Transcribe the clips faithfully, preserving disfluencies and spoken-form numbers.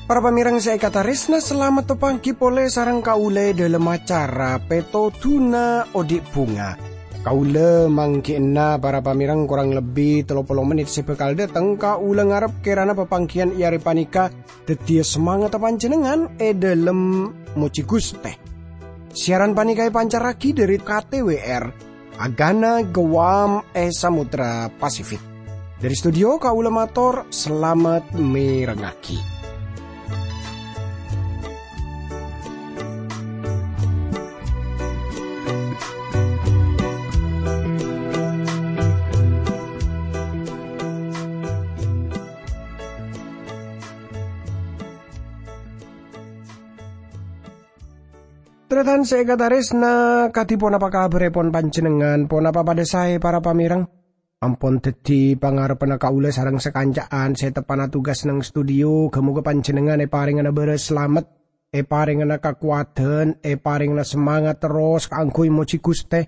Para pamèrèng sè èkatarèsna, salamet paghi polè sareng kaulâ è dhâlem acara Pètodhuna Odi' Bhunga. Kaulâ mangghi'na para pamèrèng korang lebbi tello polo mennit sè bhâkal dâteng. Kaulâ ngarep kèrana papangghiyân è arè panèka dhâddhiyâ samangatta panjhennengngan è dhâlem mojhi Ghustè. Siaran panèka èpancarraghi dhâri K T W R, Agana Guam è Samudra Pasifik. Dhâri studio, kaulâ mator salamet mèrengngaghi. Tarètan sè èkatarèsna, kadhi ponapa kabhârèpon panjhennengngan? Ponapa padhâ saè, para pamèrèng? Ampon dhâddhi pangarebbhâ kaulâ sareng sakanca'an sè teppa'na tugas neng studio. Ghâ-moghâ panjhennengngan èparèngana bârâs salamet, èparèngana kakowadhân, èparèngana samangat terros kaangghuy mojhi Ghustè.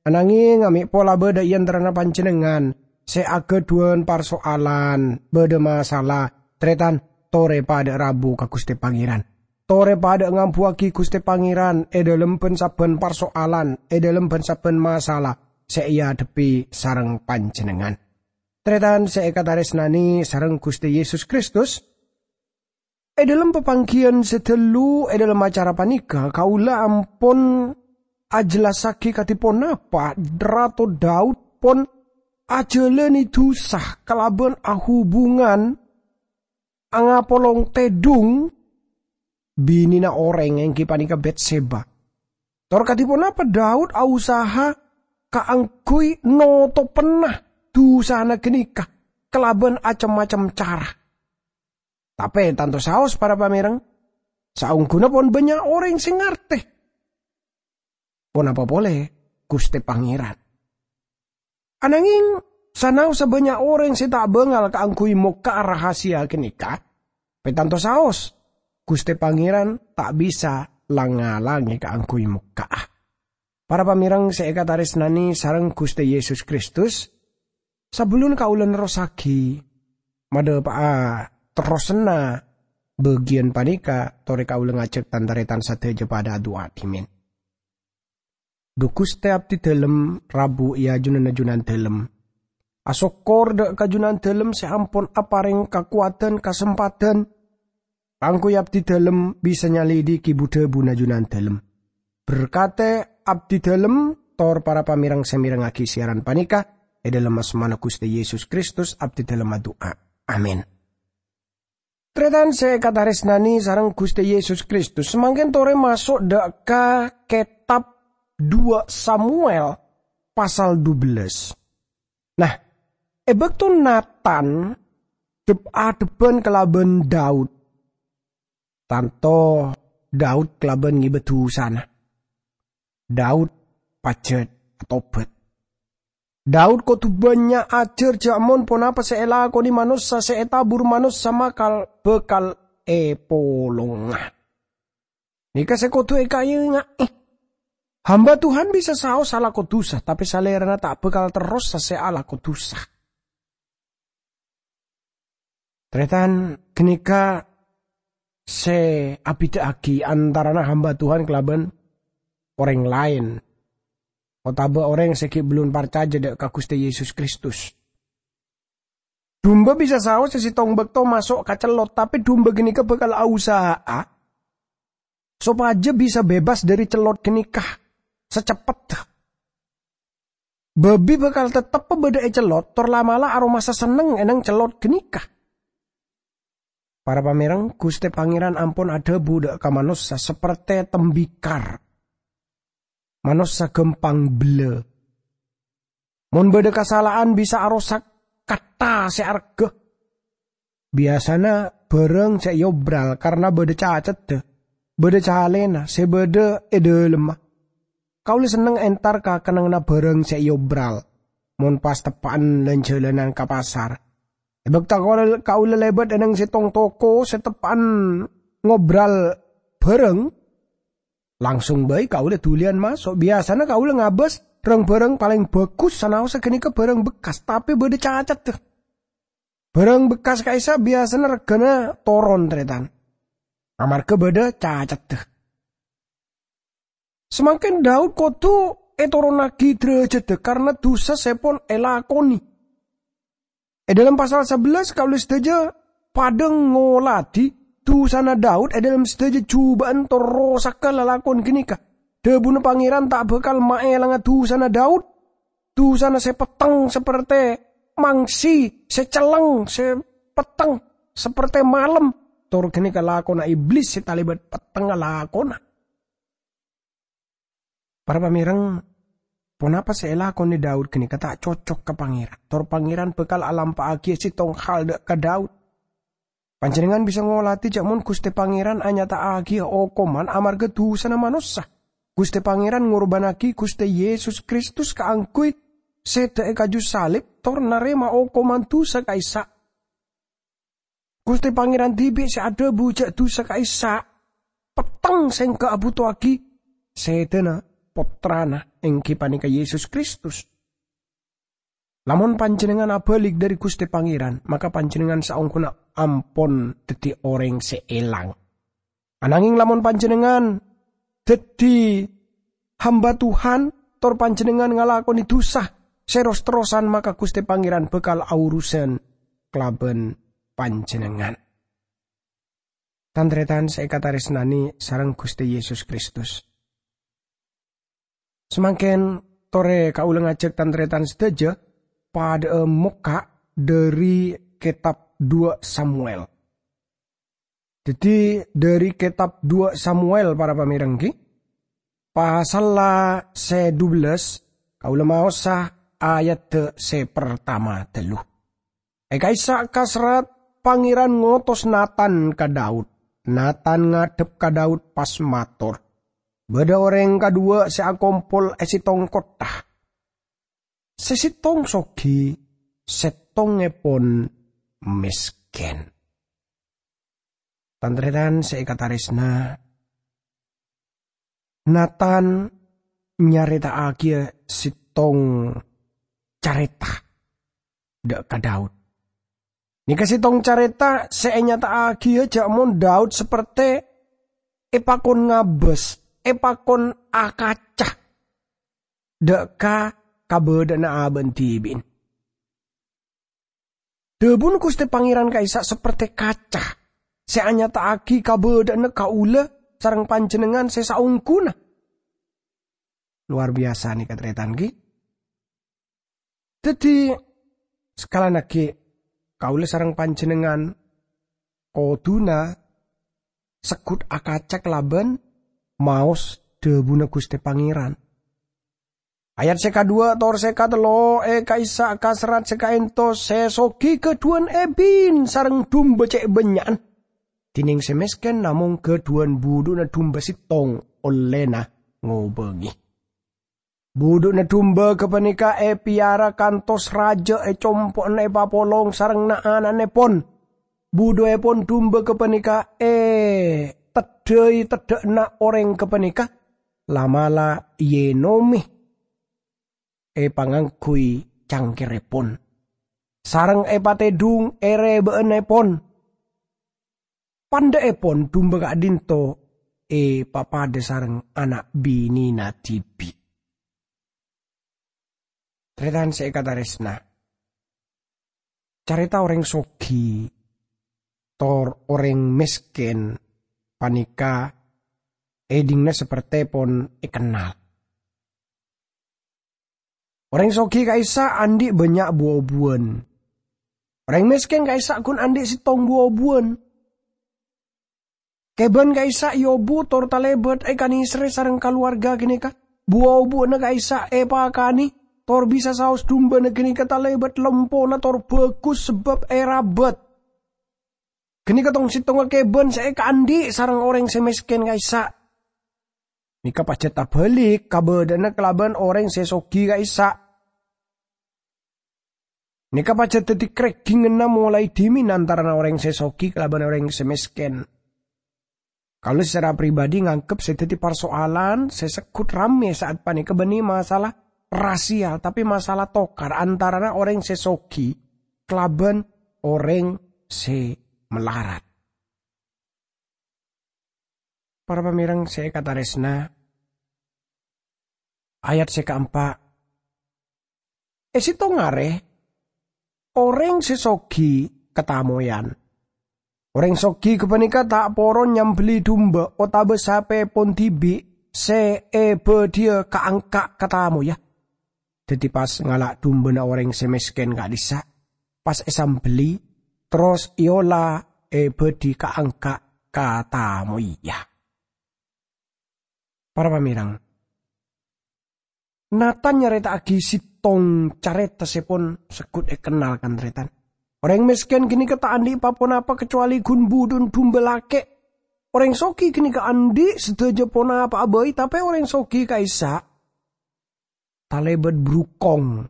Anangèng, amè' pola bâdâ è antarana panjhennengngan sè aghâdhuwân parsoalan, bâdâ masalah, tarètan, torè padâ rabu ka Ghustè Pangèran. Torè padâ ngambuwâghi Ghustè Pangèran è dhâlem bân-sabbhân parsoalan, è dhâlem bân-sabbhân masalah sè èadhebbhi sareng panjhennengngan. Tarètan sè èkatarèsnanè sareng Ghustè Yesus Kristus, è dhâlem papangghiyân sè ghâllu è dhâlem acara panèka, kaulâ ampon ajhellassaghi kadhi ponapa Rato Daud pon ajhâlânè dhusa kalabân ahubungan angapolong tèdhung binèna orèng, èngghi panèka Betseba. Tor kadhi ponapa Daud ausaha kaangghuy notopenna dhusana ghânèka kalabân cem-macem cara. Tapè tanto saos, para pamèrèng, saongghuna pon bânnya' orèng sè ngartè ponapa polè Ghustè Pangèran. Anangèng, sanaossa bânnya' orèng sè ta' bângal kaangghuy mokka'a rahasia ghânèka, pètanto saos, Ghustè Pangèran ta' bisa lang-ngalangè kaangghuy mokka'a. Para pamèrèng sè èkatarèsnanè sareng Ghustè Yesus Kristus, sabellunna kaulâ nerrossaghi, madhâpa'a terrosanna bâgiyân panèka, torè kaulâ ngajhâk tan-tarètan sadhâjâ padâ adu'a dhimèn. Dhu Ghustè, abdhi dhâlem rabu è ajunanna Junandhâlem. Asokkor dâ' ka Junandhâlem sè ampon aparèng kakowadhân, kasempadhân, kaangghuy abdhi dhâlem bisa nyalèdhighi bu-dhâbuna Junandhâlem. Berkatè abdhi dhâlem tor para pamèrèng sè mèrengngaghi siaran panèka, è dhâlem asmana Ghustè Yesus Kristus abdhi dhâlem adu'a. Amin. Tarètan sè èkatarèsnanè sareng Ghustè Yesus Kristus, samangkèn torè maso' dâ' ka kètab Dua Samuel pasal dubellâs. Nah, è bâkto Natan dhep-adhebbhân kalabân Daud, tanto Daud kalabân ngibâ dhusana. Daud pajhât atobhât. Daud kodhu bânnya' ajhâr jhâ' mon ponapa sè èlakonè manossa sè ètabur manossa makal bhâkal èpolonga. Nèka sè kodhu èkaènga'è. Hamba Tuhan bisa saos alako dhusa, tapè salèrana ta' bhâkal terrosa sè alako dhusa. Tarètan, ghânèka sè abhidhâ'aghi antarana hamba Tuhan kalabân orèng laèn, otabâ orèng sè ghi' bellun parcajâ dâ' ka Ghustè Yesus Kristus. Dumba bisa saos è sèttong bâkto maso' ka cellot, tapè dumba ghânèka bhâkal ausaha'a sopajâ bisa bebas dhâri cellot ghânèka saceppetta. Bâbi bhâkal tettebbhâ bâdâ è cellot, tor la'-mala' aromasa senneng è neng cellot ghânèka. Para pamèrèng, Ghustè Pangèran ampon adhâbu dâ' ka manossa sapertè tembikar. Manossa ghâmpang bellâ. Mon bâdâ kasala'an bisa arosak katta sè arghâ. Biyasana bhârâng sè èobral karna bâdâ caceddhâ, bâdâ calèna sè bâdâ è dhâlemma. Kaulâ senneng entar ka kennengnganna bhârâng sè èobral, mon pas teppa'an lan-jhâlanan ka pasar. È bâkto kaulâ, kaulâ lèbât è neng sèttong toko sè teppa'an ngobral bhârâng, langsung bhâi kaulâ dhuliyân maso'. Biyasana kaulâ ngabâs rang-bhârâng palèng bhâghus, sanaossa ghânèka bhârâng bekkas, tapè bâdâ cacaddhâ. Bhârâng bekkas ka'issa' biyasana règhâna toron, tarètan, amarghâ bâdâ cacaddhâ. Samangkèn Daud kodhu ètoronnaghi dârâjâddhâ karana dhusa sè pon èlakonè. È dâlem pasal sabellâs, kaulâ sadhâjâ padâ ngoladhi dhusana Daud è dâlem sadhâjâ jhubâ'ân tor rosagghâ lalakon ghânèka. Dhâbuna Pangèran ta' bhâkal maèlanga dhusana Daud. Dhusana sè petteng sapertè mangsi, sè celleng, sè petteng sapertè malem. Tor ghânèka lakona Iblis sè talèbât pettengnga lakona. Para pamèreng, ponapa sè èlakonè Daud ghânèka ta' cocok ka Pangèran. Tor Pangèran bhâkal alampa'aghiyâ sèttong hal dâ' ka Daud. Panjhennengngan bisa ngoladhi jhâ' mon Ghustè Pangèran anyata'aghiyâ okoman amarghâ dhusana manossa. Ghustè Pangèran ngorbhânnaghi Ghustè Yesus Kristus kaangghuy sèdhâ è kaju salib tor narèma okoman dhusa ka'issa'. Ghustè Pangèran dhibi' sè adhâbu jhâ' dhusa ka'issa', petteng sèngghâ' abhutoaghi sèdhâna Pottrana, èngghi panèka Yesus Kristus. Lamon panjhennengngan abâlik dhâri Ghustè Pangèran, maka panjhennengngan saongghuna ampon dhâddhi orèng sè èlang. Anangèng lamon panjhennengngan dhâddhi hamba Tuhan, tor panjhennengngan ngalakonè dhusa sè ros-terrosan, maka Ghustè Pangèran bhâkal aurusan kalabân panjhennengngan. Tan-tarètan sè èkatarèsnanè sareng Ghustè Yesus Kristus. Samangkèn torè kaulâ ngajhâk tan-tarètan sadhâjâ padâ'â mokka' dhâri kètab Duwâ' Samuel. Dhâddhi, dhâri kètab Duwâ' Samuel, para pamèreng, ghi, pasalla sè dubellâs, kaulâ maosa ayadda sè partama ghâllu. È ka'issa' kaserrat, Pangèran ngotos Natan ka Daud. Natan ngadhep ka Daud pas mator, "Bâdâ orèng kadhuwâ' sè akompol è sèttong kottha. Sè sèttong soghi, sèttongngèpon mèskèn." Tan-tarètan sè èkatarèsna, Natan nyarèta'aghiyâ sèttong carèta dâ' ka Daud. Nèka sèttong carèta sè ènyata'aghiyâ jhâ' mon Daud sapertè èpakon ngabâs, èpakon akaca dâ' ka kabâdâ'ânna abâ'na dhibi'na. Dhâbuna Ghustè Pangèran ka'issa' sapertè kaca sè anyata'aghi kabâdâ'ânna kaulâ sareng panjhennengngan sè saongghuna. Lowar biyasa nèka, tarètan, ghi. Dhâddhi, sakalana ghi, kaulâ sareng panjhennengngan kodhuna segghut akaca kalabân maos dhâbuna Ghustè Pangèran. Ayat sè kadhuwâ' tor sè katello' è ka'issa' kaserrat sè ka'ènto, sè soghi ghâdhuwân èbin sareng dumba cè' bânnya'an. Dhinèng sè mèskèn namong ghâdhuwân budhu'na dumba sèttong ollèna ngobângè. Budhu'na dumba ghâpanèka èpèyara kantos rajâ è compo'na èpapolong sareng na'-ana'èpon. Budhuèpon dumba ghâpanèka èteddhâi teddhâ'na orèng ghâpanèka, la'-mala' èènomè èpangangghuy cangkèrèpon, sareng èpatèdhung è rèbâ'ânèpon. Pandhâ'èpon dumba ka'dinto èpapadâ sareng ana' binèna dhibi'. Tarètan sè èkatarèsna, carèta orèng soghi tor orèng mèskèn panèka èdingna sapertèpon èkennal. Orèng soghi ka'issa' andi' bânnya' bu-obuwân. Orèng mèskèn ka'issa' ghun andi' sèttong bu-obuwân. Kèbân ka'issa' èobu tor talèbât èkanèserrè sareng kalowarga ghânèka. Bu-obuwânna ka'issa' èpakanè tor bisa saos dumbana ghânèka talèbât lempona tor bhâghus sabâb èrabât. Ghânèka tong-sèttongnga kèbân sè èkaandi' sareng orèng sè mèskèn ka'issa'. Nèka pajhât abâlik kabâdâ'ânna kalabân orèng sè soghi ka'issa'. Nèka pajhât dhâddhi krèghinganna molaè dhimèn antarana orèng sè soghi kalabân orèng sè mèskèn. Kaulâ secara pribadi nganggep sè dhâddhi parsoalan sè segghut rammè sa'at panèka bânnè masalah rasial, tapè masalah tokar antarana orèng sè soghi kalabân orèng sè malarat. Para pamèrèng sè èkatarèsna, ayat sè kaempa', è sèttong arè, orèng sè soghi katamoyan. Orèng soghi ghâpanèka ta' poron nyambelli dumba otabâ sapèpon dhibi' sè èbâdhiyâ ka'-angka' katamoya. Dhâddhi pas ngala' dumbana orèng sè mèskèn ka'dhissa', pas èsambelli, terros èola èbâdhi ka'-angka' katamoya. Para pamèrèng, Natan nyarèta'aghi sèttong carèta sè pon segghut èkennal, kan-tarètan. Orèng mèskèn ghânèka ta' andi' pa-ponapa kacobâli ghun budhu'na dumba lakè'. Orèng soghi ghânèka andi' sadhâjâ ponapa'a bhâi, tapè orèng soghi ka'issa' talèbât brukong.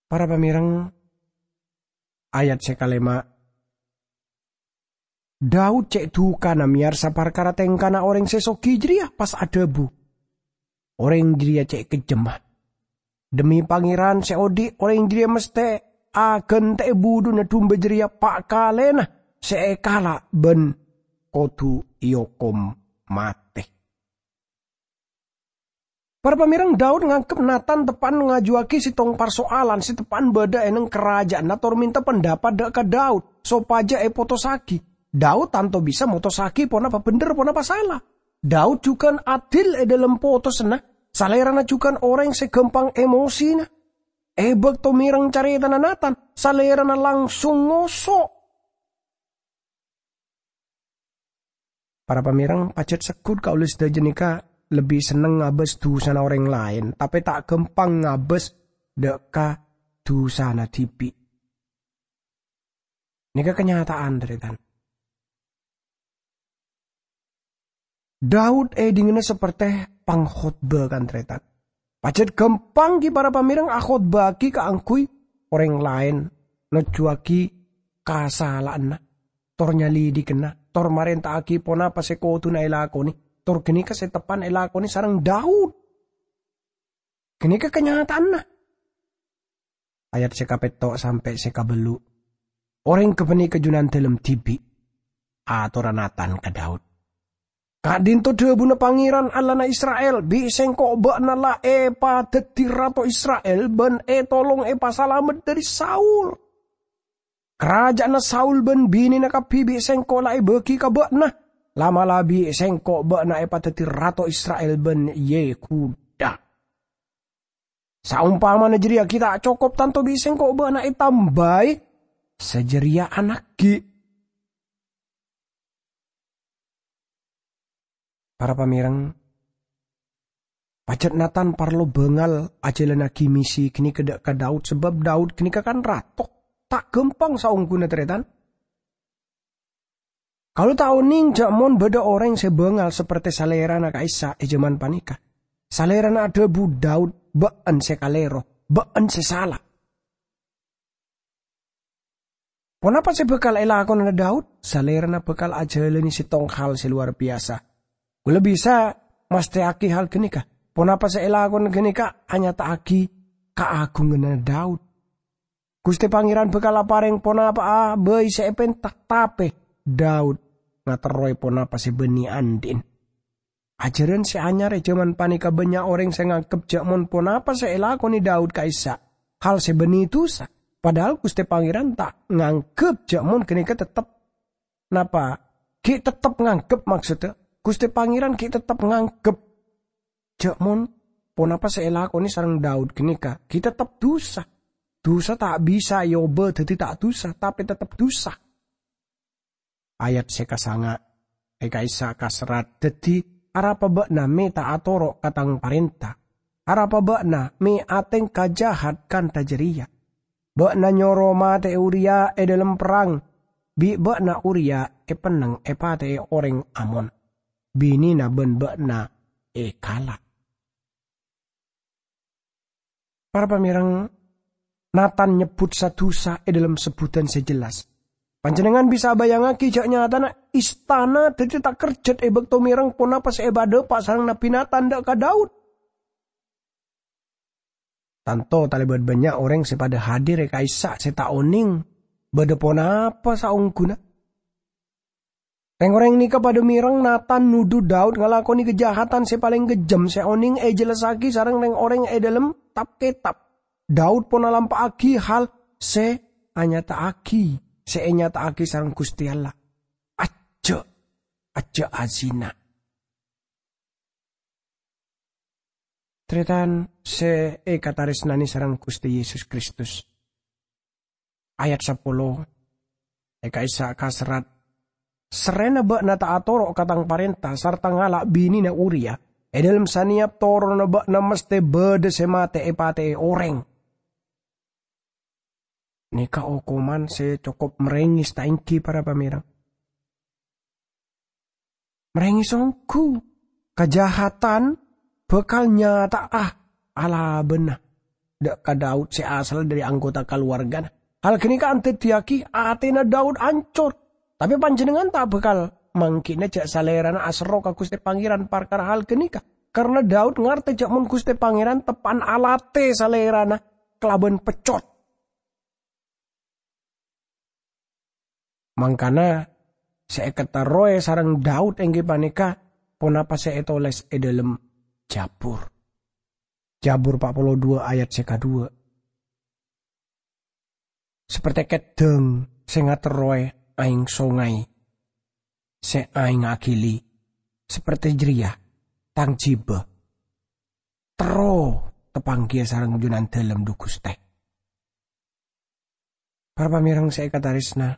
Para pamèrèng, ayat sè kalèma', Daud cè' dhukana mèyarsa parkara tèngkana orèng sè soghi jârèya, pas adhâbu, "Orèng jârèya cè' kejjemma. Dhemmi Pangèran sè odi', orèng jârèya mastè aghântè'è budhu'na dumba jârèya pa' kalèna sè èkala' bân kodhu èokom matè." Para pamèrèng, Daud nganggep Natan teppa'na ngajuwâghi sèttong parsoalan sè teppa'na bâdâ è neng karaja'anna tor mènta pendapat dâ' ka Daud sopajâ èpotossaghi. Daud tanto bisa motossaghi ponapa bhendher, ponapa sala. Daud jhughân adil è dhâlem potosanna, salèrana jhughân orèng sè ghâmpang emosina. È bâkto mèreng carètana Natan, salèrana langsung ngoso'. Para pamèrèng, pajhât segghut kaulâ sadhâjâ nèka lebbi senneng ngabâs dhusana orèng laèn, tapè ta' ghâmpang ngabâs dâ' ka dhusana dhibi'. Nèka kanyata'an, tarètan. Daud èdingngana saperte pangkhotbah, kan-tarètan. Pajhât ghâmpang ghi para pamèrèng akhotbahaghi kaangghuy orèng laèn, nojjhuwâghi kasala'anna, tor nyalidhighâna, tor marènta'aghi ponapa sè kodhuna èlakonè, tor ghânèka sè teppa'na èlakonè sareng Daud. Ghânèka kanyata'anna. Ayat sè kapètto' sampè' sè kabellu'. Orèng ghâpanèka jhunan dhâlem dhibi', atorra Natan ka Daud. "Ka'dhinto dhâbuna Pangèran, Allahna Isra'il, 'Bi' sèngko' bâ'na la èpadhâddhi rato Isra'il bân ètolong èpasalamet dhâri Saul. Karaja'anna Saul bân binèna kabbhi bi' sèngko' la èbâgi ka bâ'na. La'-mala' bi' sèngko' bâ'na èpadhâddhi rato Isra'il bân Yehuda. Saompamana jârèya ghi' ta' cokop tanto bi' sèngko' bâ'na ètambâi sajârèya ana' ghi'.'" Para pamèrèng, pajhât Natan parlo bângal ajhâlânnaghi misi ghânèka dâ' ka Daud, sabâb Daud ghânèka kan rato. Ta' ghâmpang saongghuna, tarètan. Kaulâ ta' onèng jâ' mon bâdâ orèng sè bângal saperte salèrana ka'issa' è jhâman panèka. Salèrana adhâbu, "Daud, bâ'ân sè kalèro, bâ'ân sè sala." Ponapa sè bhâkal èlakonana Daud? Salèrana bhâkal ajhâlâni sèttong hal sè lowar biyasa. Kaulâ bisa mastèyaghi hal ghânèka. Ponapa sè èlakona ghânèka anyata'aghi kaagunganna Daud. Ghustè Pangèran bhâkal aparèng ponapa'a bhâi sè èpènta, tapè Daud ngaterrowè ponapa sè bânnè andi'na. Ajhârân sè anyar è jhâman panèka bânnya' orèng sè nganggep jâ' mon ponapa sè èlakonè Daud ka'issa' hal sè bânnè dhusa, padahal Ghustè Pangèran ta' nganggep jâ' mon ghânèka tettep. Napa? Ghi' tettep nganggep, maksoddhâ, Ghustè Pangèran ghi' tettep nganggep jâ' mon ponapa sè èlakonè sareng Daud ghânèka ghi' tettep dhusa. Dhusa ta' bisa èobâ dhâddhi ta' dhusa, tapè tettep dhusa. Ayat sè kasanga', è ka'issa' kaserrat, "Dhâddhi, arapa bâ'na mè' ta' atoro' ka tang parènta? Arapa bâ'na mè' atèngka jahat kantha jârèya? Bâ'na nyoro matè'è Uriya è dhâlem perrang, bi' bâ'na Uriya èpennèng èpatè'è orèng Amon. Binèna bân bâ'na èkala'." Para pamèrèng, Natan nyebbhut sa-dhusa è dhâlem sebbhudhân sè jelas. Panjhennengngan bisa abayangngagi ja' nyatana istana dhâddhi takerjhât è bâkto mèreng ponapa sè èpadhâpa' sareng Nabbhi Natan dâ' ka Daud. Tanto talèbât bânnya' orèng sè padhâ hadir è ka'issa' sè ta' onèng bâdâ ponapa saongghuna. Rèng-orèng nèka padhâ mèreng Natan nudhu Daud ngalakonè kajahatan sè palèng kejjhem sè onèng èjellassaghi sareng rèng-orèng è dhâlem Tab-Ketab. Daud pon alampa'aghi hal sè anyata'aghi, sè ènyata'aghi sareng Ghustè Allah. Ajjhâ', ajjhâ' azina. Tarètan sè èkatarèsnanè sareng Ghustè Yesus Kristus. Ayat sapolo, è ka'issa' kaserrat, "Sarrèna bâ'na ta' atoro' ka tang parènta sarta ngala' binèna Uria, è dhâlem sanèyap toronanna bâ'na mastè bâdâ sè matè èpatè'è orèng." Nèka okoman sè cokop marèngès, ta' èngghi, para pamèreng? Marèngès ongghu, kajahatan bhâkal nyata'a alabâna dâ' ka Daud sè asalla dhâri anggota kalowargana. Hal ghânèka andaddiyaghi atèna Daud ancor. Tapè panjhennengngan ta' bhâkal mangkèna ja' salèrana aserro ka Ghustè Pangèran parkara hal ghânèka, karna Daud ngartè ja' mon Ghustè Pangèran teppa'na alatè salèrana kalabân peccot. Mangkana, sè èkaterrowè sareng Daud èngghi panèka ponapa sè ètolès è dhâlem Jabur. Jabur empat puluh dua ayat sè kadhuwâ. "Saperte keddhâng sè ngaterrowè aèng songay sè aèngnga aghili, saperte jârèya tang jhibâ. Terro tapangghiyâ sareng Junandâlem, dhu Ghustè." Para pamèreng sè èkatarèsna,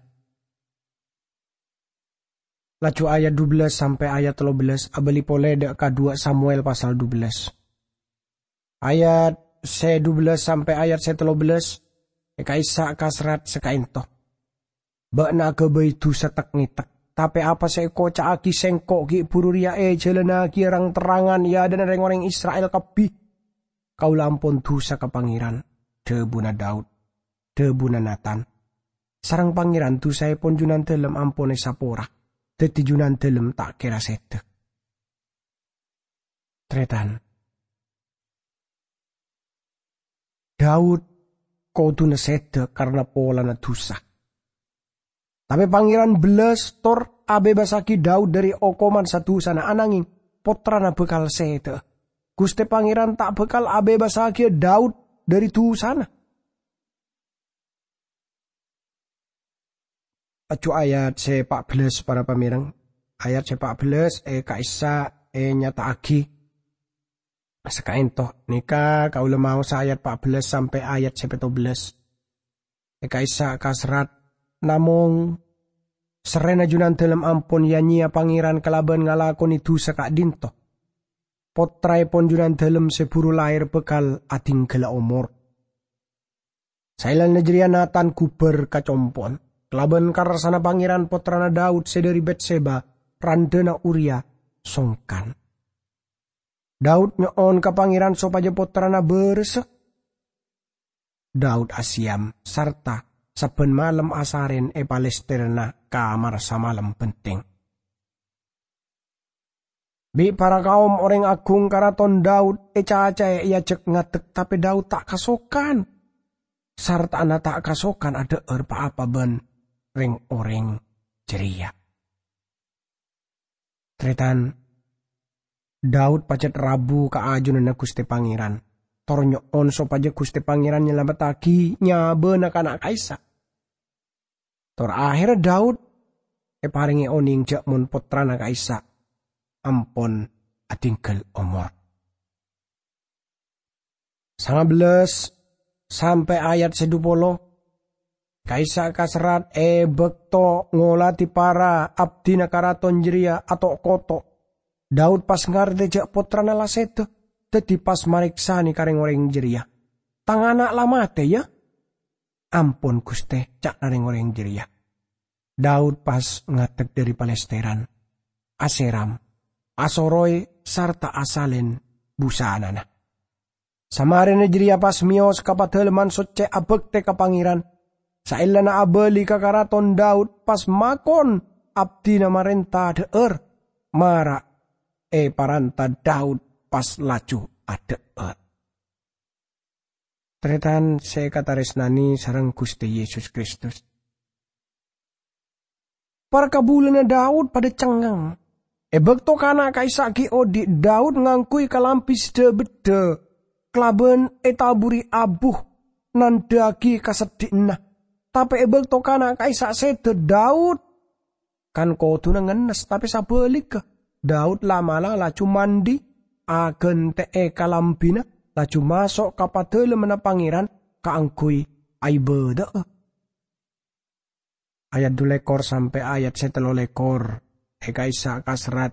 laju ayat dubellâs sampè' ayat tello bellâs abâli polè dâ' ka dua Samuel pasal dubellâs. Ayat sè dubellâs sampè' ayat sè tello bellâs, è ka'issa' kaserrat sakaènto. "Bâ'na aghâbây dhusa tek-ngètek, tapè apa sè èkoca'aghi sèngko' ghi' bhuru rèya èjhâlânnaghi rang-terrangan è adâ'na rèng-orèng Isra'il kabbhi. Kaulâ ampon dhusa ka Pangèran," dhâbuna Daud. Dhâbuna Natan, "Sareng Pangèran dhusaèpon Junandâlem ampon èsapora, dhâddhi Junandâlem ta' kèra sèdhâ." Tarètan, Daud kodhuna sèdhâ karna polana dhusa. Tapè Pangèran bellas tor abebasaghi Daud dhâri okoman sa-dhusana, ananghing pottrana bhâkal sèdhâ. Ghustè Pangèran ta' bhâkal abebassaghiyâ Daud dhâri dhusana. Laju ayat sè pa' bellas, para pamèreng. Ayat sè pa' bellas è ka'issa' ènyata'aghi sakaènto. Nèka kaulâ maosa ayat pa' bellas sampè' ayat sè pètto bellas. È ka'issa' kaserrat, "Namong, sarrèna Junandâlem ampon ya-nyèya Pangèran kalabân ngalakonè dhusa ka'dinto, pottraèpon Junandâlem sè buru laèr bhâkal adhinggâllâ omor." Saellana jârèya Natan ghubâr ka compo'na. Kalabân karsana Pangèran, pottrana Daud sè dhâri Betseba, randhâna Uria, songkan. Daud nyo'on ka Pangèran sopajâ pottrana bârâssa. Daud asèyam sarta sabbhân malem asarèn è palèstèrra kamar samalem bhenteng. Bi' para kaom orèng agung Karaton Daud ècacaè èajhâk ngadek, tapè Daud ta' kasokan, sartana ta' kasokan adhâ'âr pa-apa bân rèng-orèng jârèya. Tarètan, Daud pajhât rabu ka ajunanna Ghustè Pangèran, tor nyo'on sopajâ Ghustè Pangèran nyalamettaghi nyabâna kana' ka'issa'. Tor aherra Daud èparèngè onèng jâ' mon pottrana ka'issa' ampon adhinggâl omor. Sanga bellas sampè' ayat sè dhu polo. Ka'issa' kaserrat, "È bâkto ngoladhi para abdhina karaton jârèya ato'-koto', Daud pas ngartè jâ' pottrana la sèdhâ, dhâddhi pas marèksanè ka rèng-orèng jârèya. 'Tang ana' la matè, ya?' 'Ampon, Ghustè,' ca'na rèng-orèng jârèya." Daud pas ngadek dhâri palèstèran, asèram, asoroy, sarta asalèn busanana. Samarèna jârèya pas mèyos ka Padâlemman Soccè abhâktè ka Pangèran, Saellana abâli ka Karaton Daud pas makon abdina marènta dhâ'âr, mara èparanta Daud pas laju adhâ'âr. Tarètan sè èkatarèsnanè sareng Ghustè Yesus Kristus. Para kabulâna Daud padâ cengngeng. È bâkto kana' ka'issa' ghi' odi', Daud ngangghuy kalambhi sè dhâ-beddhâ kalabân ètaburri abu, nandhâ'aghi kaseddhi'ânna. Tapè è bâkto kana' ka'issa' sèdhâ, Daud kan kodhuna ngennes, tapè sabhâligghâ, Daud la'-mala' laju mandhi, aghântè'è kalambhina, laju maso' ka Padalemmanna Pangèran kaangghuy aibâdâ'â. Ayat dhu lèkor sampè' ayat sè tello lèkor, è ka'issa' kaserrat,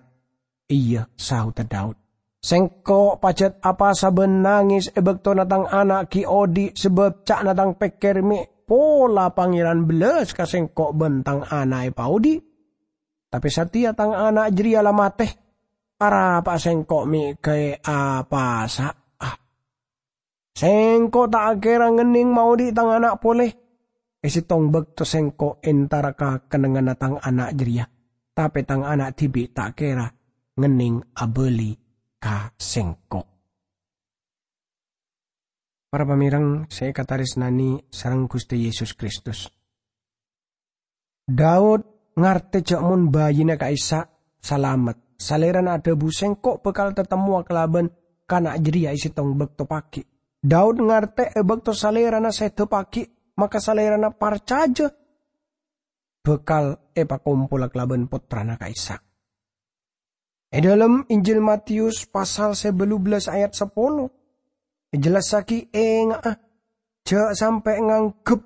"Iyâ," saodhâ Daud, "sèngko' pajhât apasa bân nangès è bâktona tang ana' ghi' odi', sabâb ca'na tang pèkkèr mè' pola Pangèran bellas ka sèngko' bân tang ana' èpaodi'. Tapè satèya tang ana' jârèya la matè, arapa'a sèngko' mè' ghâbây apasa'a? Sèngko' ta' kèra ngennèng maodi' tang ana' polè. È sèttong bâkto sèngko' entara ka kennengnganna tang ana' jârèya, tapè tang ana' dhibi' ta' kèra ngennèng abâli ka sèngko'." Para pamèreng sè èkatarèsnanè sareng Ghustè Yesus Kristus, Daud ngartè jâ' mon bâjina ka'issa' salamet. Salèrana adhâbu, "Sèngko' bhâkal tatemmowa kalabân kana' jârèya è sèttong bâkto paghi'." Daud ngartè è bâkto salèrana sèdhâ paghi', maka salèrana parcajâ bhâkal èpakompola kalabân pottrana ka'issa'. È dhâlem Injil Matius pasal sè bâllu bellâs ayat sapolo, èjellassaghi, "Enga'a, jâ' sampè' nganggep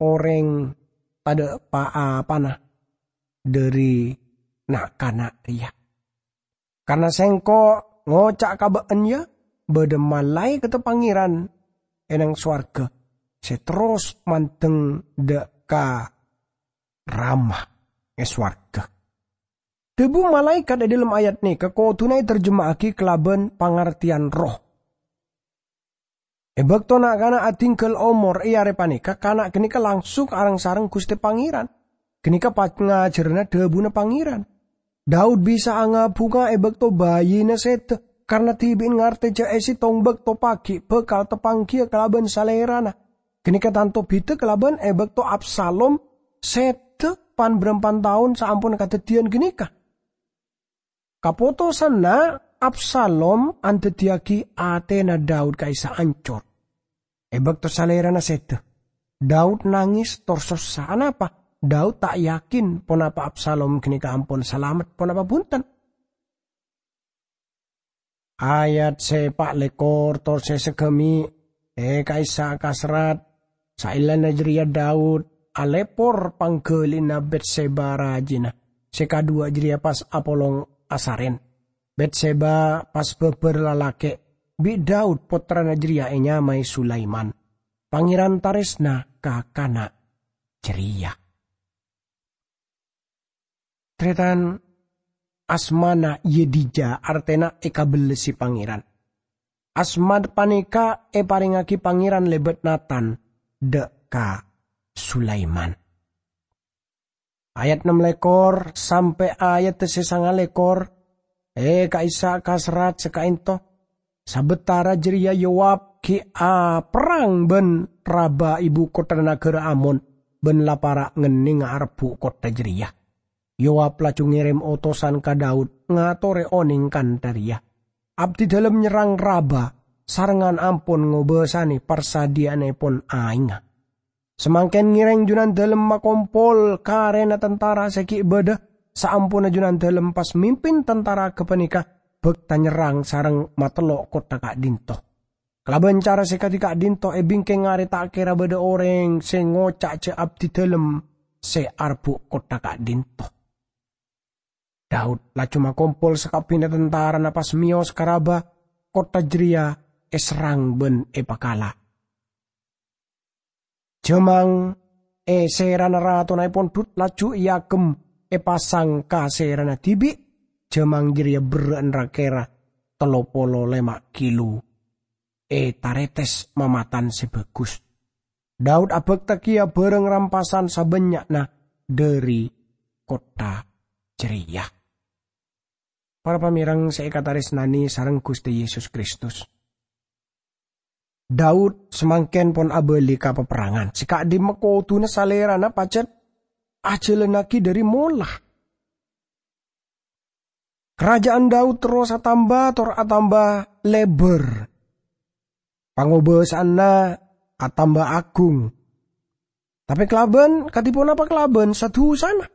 orèng tadâ' pa-apana dhâri na'-kana' rèya. Karna Sèngko' ngoca' ka bâ'na, yâ, bâdâ malaèkatta Pangèran è nang sowarghâ sè terros mandeng dâ' ka Rama è sowarghâ." Dhâbu malaèkat è dhâlem ayat nèka kodhuna ètarjema'aghi kalabân pangartèyan roh. È bâkto na'-kana' adhingghâl omor è arè panèka, kana' ghânèka langsung areng-sareng Ghustè Pangèran. Ghânèka pangajhârânna dhâbuna Pangèran. Daud bisa'a ngabhunga è bâkto bâjina sèdhâ, karna dhibi'na ngartè jâ' è sèttong bâkto paghi' bhâkal tapangghiyâ kalabân salèrana. Ghânèka tanto bhidhâ kalabân è bâkto Absalom sèdhâ pan-bârâmpan taon saamponna kadhâddhiyân ghânèka. Kapotosanna Absalom andhâddhiyâghi atèna Daud ka'issa' ancor. È bâkto salèrana sèdhâ, Daud nangès tor sossa. Anapa? Daud ta' yakin ponapa Absalom ghânèka ampon salamet ponapa bhunten. Ayat sè pa' lèkor tor sè saghâmè', è ka'issa' kaserrat, saellana jârèya Daud alèpor pangghâlina Betseba rajina, sè kaduwâ jârèya pas apolong asarèn. Betseba pas bâbâr lalakè' bi' Daud, pottrana jârèya ènyamaè Sulaiman. Pangèran tarèsna ka kana' jârèya. Tarètan, asmana Yedija, artèna èkabellasi Pangèran. Asma panèka èparèngaghi Pangèran lèbât Natan dâ' ka Sulaiman. Ayat nem lèkor sampè' ayat sè sanga lèkor, è ka'issa' kaserrat sè ka'ènto. Sabâtara jârèya Yoab ghi' aperrang bân Raba, ibu kottha naghârâ Amon, bân la para' ngennènga arebbhu' kottha jârèya. Yoab laju ngèrèm otosan ka Daud ngatorè onèng kantha rèya, "Abdidâlem nyerrang Raba, sarengngan ampon ngobâsanè parsadhiyâ'annèpon aèngnga. Samangkèn ngèrèng Junandâlem makompol karèna tantara sè ghi' bâdâ. Saamponna Junandâlem pas mimpin tantara ghâpanèka bhâkta nyerrang sareng matello' kottha ka'dinto. Kalabân cara sè kadhi ka'dinto è bingkèng arè ta' kèra bâdâ orèng sè ngoca' jâ' abdidâlem sè arebbhu' kottha ka'dinto." Daud laju makompol sakabbhiyânna tantarana pas mèyos ka Raba, kottha jârèya èserrang bân èpakala. Jhâmang è sèrana ratonaèpon Dud laju èagem èpasang ka sèrana dhibi'. Jhâmang jârèya berrâ'na ra-kèra tello polo lèma' kilo, ètarètès mamatan sè bhâghus. Daud abhâkta kèya bhârâng rampasan sabânnya'na dhâri kottha jârèya. Para pamèreng sè èkatarèsnanè sareng Ghustè Yesus Kristus, Daud samangkèn pon abâli ka paperrangan sè ka'dimma kodhuna salèrana pajhât ajhâlannaghi dhâri mola. Karaja'an Daud terros atamba tor atamba lèbâr. Pangobâsa'anna atamba aghung. Tapè kalabân, kadhi ponapa kalabân sa-dusana?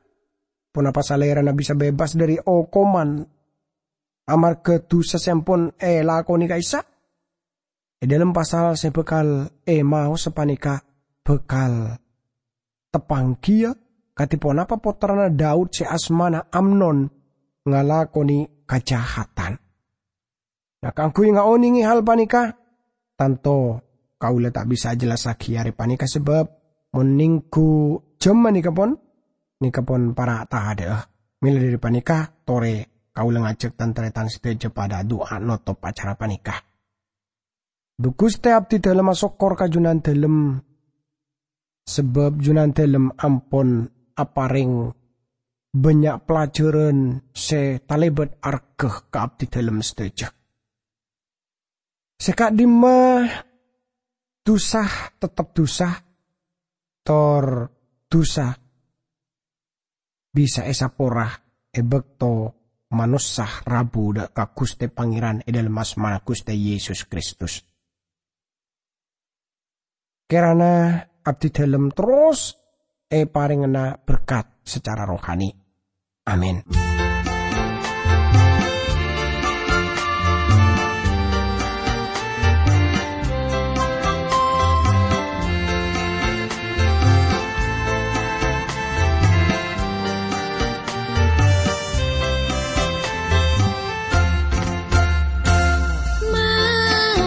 Ponapa salèrana bisa bebas dhâri okoman amarghâ dusa sè ampon èlakonè ka'issa'? È dhâlem pasal sè bhâkal èmaosa panèka bhâkal teppanggiyâ kadhi ponapa pottrana Daud sè asmana Amnon ngalakonè kajahadhân. Nah, kaangghuy ngaonèngè hal panèka, tanto kaulâ ta' bisa ajhellassaghi arè panèka sabâb mon nèngghu jhâmma nèka pon, nèka pon para' tadhâ'â. Mèla dhâri panèka, torè kaulâ ngajhâk tan-tarètan sadhâjâ padâ adu'a notop acara panèka. Dhu Ghustè, abdhi dhâlem asokkor ka Jhunandhâlem, sabâb Jhunandhâlem ampon aparèng bânnya' pelajaran sè talèbât arghâ ka abdhi dhâlem sadhâjâ. Sè ka'dimma, dusa tettep dusa, tor dusa bisa èsapora è bâkto manossa rabu dâ' ka Ghustè Pangèran è dhâlem asmana Ghustè Yesus Kristus. Kèrana abdhi dhâlem terros èparèngana berkat sacara rohani. Amin.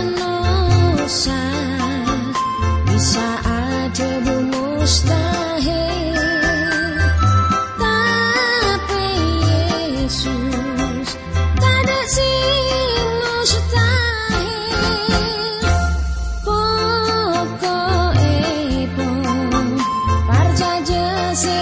Manossa bisa adhâbu mustahil, tapè Yesus tadâ' sè mustahil. Poko'èpon parcajâ sè